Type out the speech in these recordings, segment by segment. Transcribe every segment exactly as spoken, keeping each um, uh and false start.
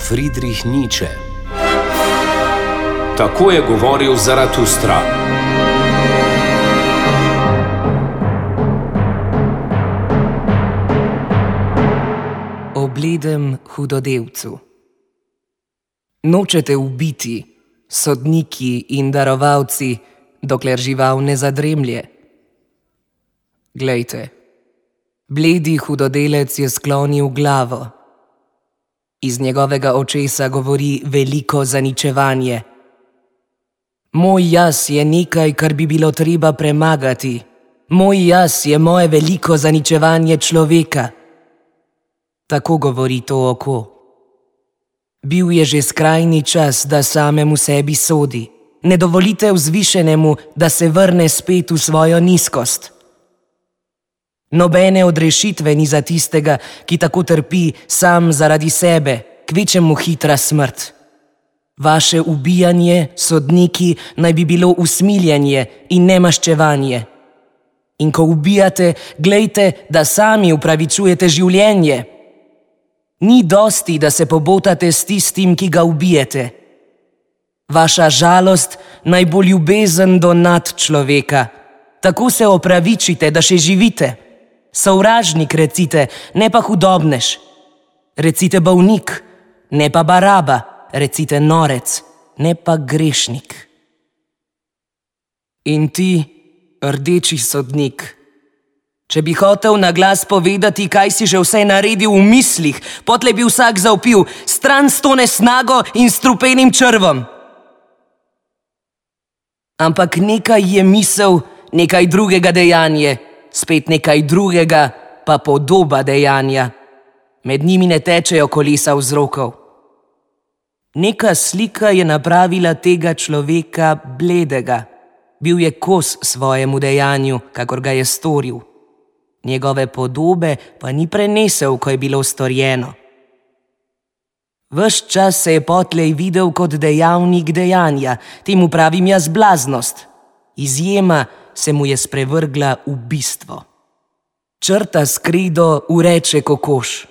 Friedrich Nietzsche. Tako je govoril Zaratustra. O bledem hudodelcu. Nočete ubiti, sodniki in darovalci, dokler žival ne zadremlje. Glejte, bledi hudodelec je sklonil glavo. Iz njegovega očesa govori veliko zaničevanje. Moj jaz je nekaj, kar bi bilo treba premagati. Moj jaz je moje veliko zaničevanje človeka. Tako govori to oko. Bil je že skrajni čas, da samemu sebi sodi. Ne dovolite vzvišenemu, da se vrne spet v svojo nizkost. Nobene odrešitve ni za tistega, ki tako trpi sam zaradi sebe, kvečemu hitra smrt. Vaše ubijanje, sodniki, naj bi bilo usmiljenje in ne maščevanje. In ko ubijate, glejte, da sami upravičujete življenje. Ni dosti, da se pobotate s tistim, ki ga ubijete. Vaša žalost naj bo ljubezen do nadčloveka. Tako se opravičite, da še živite. Sovražnik recite, ne pa hudobnež. Recite bolnik, ne pa baraba. Recite norec, ne pa grešnik. In ti, rdeči sodnik, če bi hotel na glas povedati, kaj si že vse naredil v mislih, potlej bi vsak zavpil, stran s to nesnago in strupenim črvom. Ampak nekaj je misel, nekaj drugega dejanje, spet nekaj drugega pa podoba dejanja. Med njimi ne tečejo kolesa vzrokov. Neka slika je napravila tega človeka bledega. Bil je kos svojemu dejanju, kakor ga je storil. Njegove podobe pa ni prenesel, ko je bilo storjeno. Ves čas se je potlej videl kot dejavnik dejanja, temu pravim jaz blaznost. Izjema se mu je sprevrgla v bistvo. Črta s kredo ureče kokoš.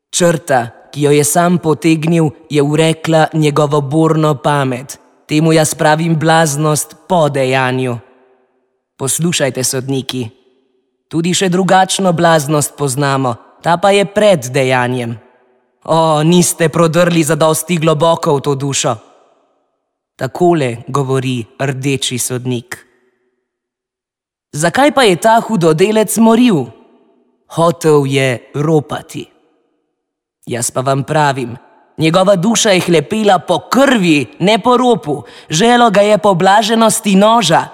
Črta, ki jo je sam potegnil, je urekla njegovo borno pamet. Temu jaz pravim blaznost po dejanju. Poslušajte, sodniki. Tudi še drugačno blaznost poznamo, ta pa je pred dejanjem. O, niste prodrli zadosti globoko v to dušo. Takole govori rdeči sodnik. Zakaj pa je ta hudodelec moril? Hotel je ropati. Jaz pa vam pravim, njegova duša je hlepela po krvi, ne po ropu, želo ga je po blaženosti noža.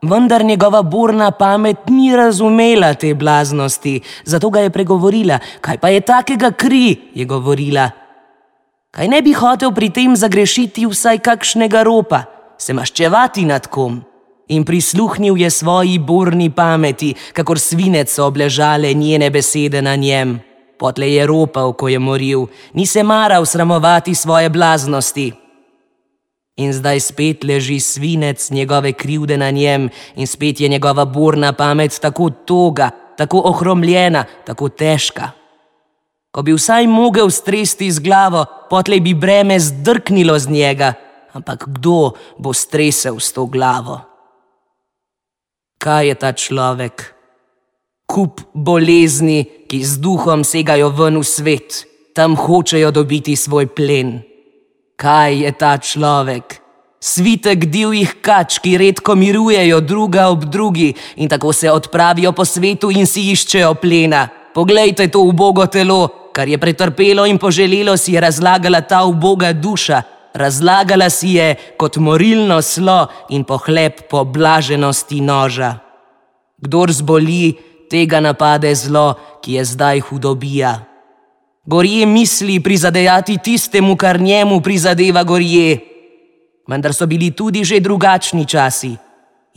Vendar njegova burna pamet ni razumela te blaznosti, zato ga je pregovorila. Kaj pa je takega kri, je govorila. Kaj ne bi hotel pri tem zagrešiti vsaj kakšnega ropa, se maščevati nad kom? In prisluhnil je svoji burni pameti, kakor svinec so obležale njene besede na njem. Potlej je ropal, ko je moril, ni se maral sramovati svoje blaznosti. In zdaj spet leži svinec njegove krivde na njem in spet je njegova burna pamet tako toga, tako ohromljena, tako težka. Ko bi vsaj mogel stresti z glavo, potlej bi breme zdrknilo z njega, ampak kdo bo stresel s to glavo? Kaj je ta človek? Kup bolezni, ki z duhom segajo ven v svet, tam hočejo dobiti svoj plen. Kaj je ta človek? Svitek divjih kač, ki redko mirujejo druga ob drugi in tako se odpravijo po svetu in si iščejo plena. Poglejte to ubogo telo, kar je pretrpelo in poželelo si je razlagala ta uboga duša. Razlagala si je kot morilno slo in pohlep po blaženosti noža. Kdor zboli, tega napade zlo, ki je zdaj hudobija. Gorje misli prizadejati tistemu, kar njemu prizadeva gorje. Vendar so bili tudi že drugačni časi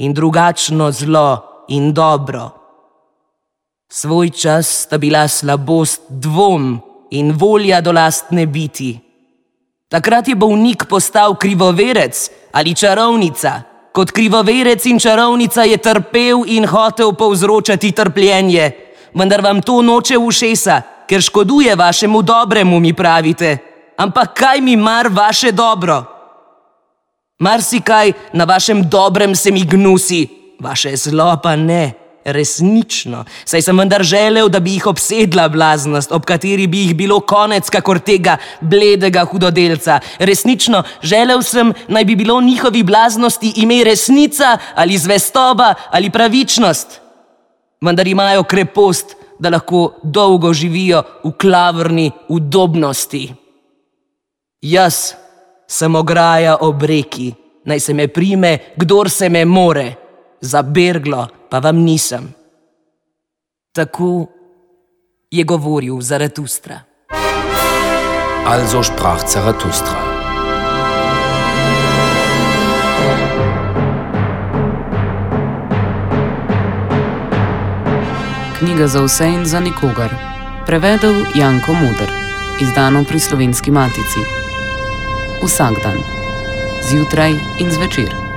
in drugačno zlo in dobro. Svoj čas sta bila slabost dvom in volja do lastne biti. Takrat je bolnik postal krivoverec ali čarovnica. Kot krivoverec in čarovnica je trpel in hotel povzročati trpljenje. Vendar vam to noče v ušesa, ker škoduje vašemu dobremu, mi pravite. ampak kaj mi mar vaše dobro? Marsikaj na vašem dobrem se mi gnusi, vaše zlo pa ne, resnično, saj sem vendar želel, da bi jih obsedla blaznost, ob kateri bi jih bilo konec kakor tega bledega hudodelca. Resnično, želel sem, naj bi bilo njihovi blaznosti ime resnica ali zvestoba ali pravičnost. Vendar imajo krepost, da lahko dolgo živijo v klavrni udobnosti. Jaz sem ograja ob reki, naj se me prime, kdor se me more, za berglo pa vam nisem. Tako je govoril Zaratustra. Also sprach Zarathustra. Knjiga za vse in za nikogar. Prevedel Janko Moder. Izdano pri Slovenski matici. Vsak dan. Zjutraj in zvečer.